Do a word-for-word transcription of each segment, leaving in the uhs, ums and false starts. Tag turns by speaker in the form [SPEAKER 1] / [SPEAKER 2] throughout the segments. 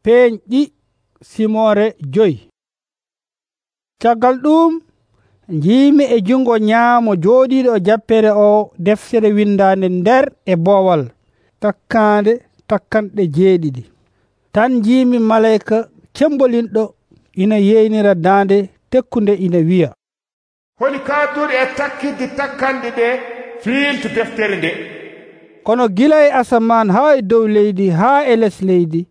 [SPEAKER 1] peeñɗi simore joyi. Caggal ɗum njiimi e jungo nyaamo jooɗiiɗo e jappere o deftere windaande nder e boowal takkaande takkanɗe jeeɗiɗi. Tan njiimi malayka cembolinɗo ina yeynira daande tekkunde ina wi'a,
[SPEAKER 2] holi kaadduɗo e takkidde takkanɗe ɗe fiiltu deftere nde.
[SPEAKER 1] Kono gila e asamaan haa e dow leydi haa e les leydi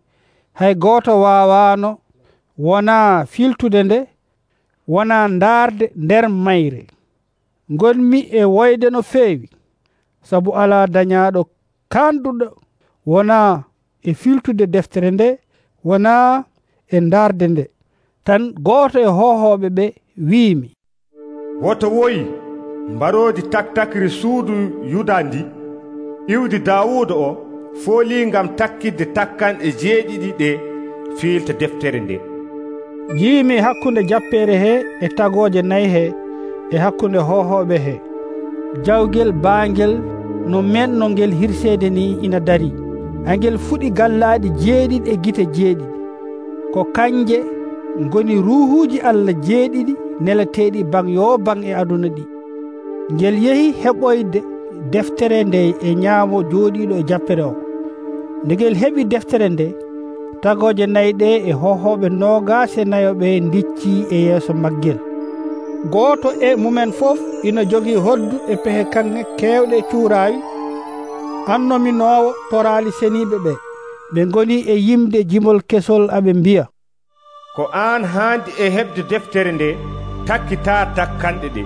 [SPEAKER 1] hay gooto waawaano wonaa filtude nde, wonaa ndaarde nder mayre. Ngonmi e woyde no feewi, sabu alaa dañaaɗo kaanduɗo wonaa e filtude deftere nde, wonaa e ndaarde nde. Tan gooto e hohooɓe ɓe wi'imi,
[SPEAKER 2] woto woyi mbaroodi taktakri suudu Yuda ndi, iwdi Daawuuda o foolii ngam takkidde takkanɗe jeeɗiɗi ɗe fiilta deftere nde.
[SPEAKER 1] Njiimi hakkunde jappeere he e tagooje nayi he e hakkunde hohooɓe he. Jawgel baangel no menno ngel hirseede ni ina darii. Angel fuɗi gallaaɗi jeeɗiɗi e gite jeeɗiɗi. Ko kanje ngoni ruuhuuji Allah jeeɗiɗi neleteeɗi baŋ yo baŋ e aduna ɗi. Ngel yehi heɓoyde deftere nde e nyaamo jooɗiiɗo e jappere o. Nde ngel heɓi deftere nde, tagooje nayi ɗe e hohooɓe noogaas e nayo ɓe ndiccii e yeeso maggel. Gooto e mumen fof ina jogii hoddu e pehe kanŋe keewɗe cuuraayi annominoowo toraali seniiɓe ɓe. Ɓe ngoni e yimde jimol kesol aɓe mbi'a,
[SPEAKER 2] ko aan haandi e heɓde deftere nde takkitaa takkanɗe ɗe,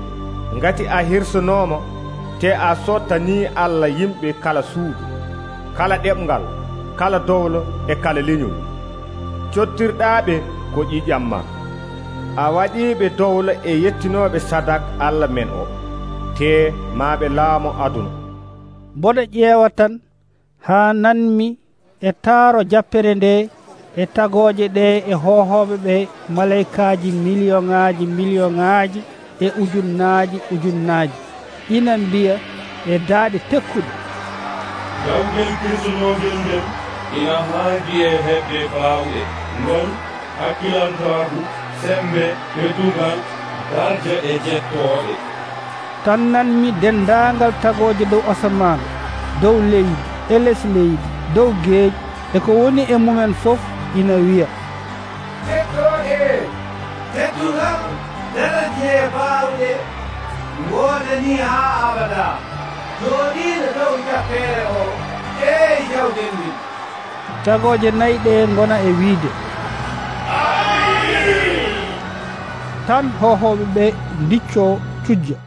[SPEAKER 2] ngati a hirsonoomo te a sottanii Allah yimɓe kala suudu, kala ɗeɓngal, kala dowlo e kala leñol. Cottirɗaaɓe ko ƴiƴam ma. A waɗiiɓe dowlo e yettinooɓe sadak Allah men o, te maaɓe laamo aduna.
[SPEAKER 1] Mboɗo ƴeewa tan haa nanmi e taaro jappere nde e tagooje ɗe e hohooɓe ɓe malaykaaji milliyoŋaaji milliyoŋaaji e ujunnaaji ujunnaaji ina mbiya e daaɗe tekkuɗe,
[SPEAKER 3] jawgel kirsunogel ngel ina haandi e heɓde baawɗe, ngol, hakkilantaaku, sembe, ɓeddugal, darja e jettooɗe.
[SPEAKER 1] Tan nanmi denndaangal tagooje dow asamaan, dow leydi e les leydi, dow geeƴi e ko woni e mumen fof ina wi'a,
[SPEAKER 4] jettooɗe, teddugal, daraje e baawɗe, ngoodani haa abada, jooɗiiɗo dow jappere o e jawɗen ndin.
[SPEAKER 1] Tagooje nayi ɗe ngona e wiide, tan hohooɓe ɓe ndiccoo cujja.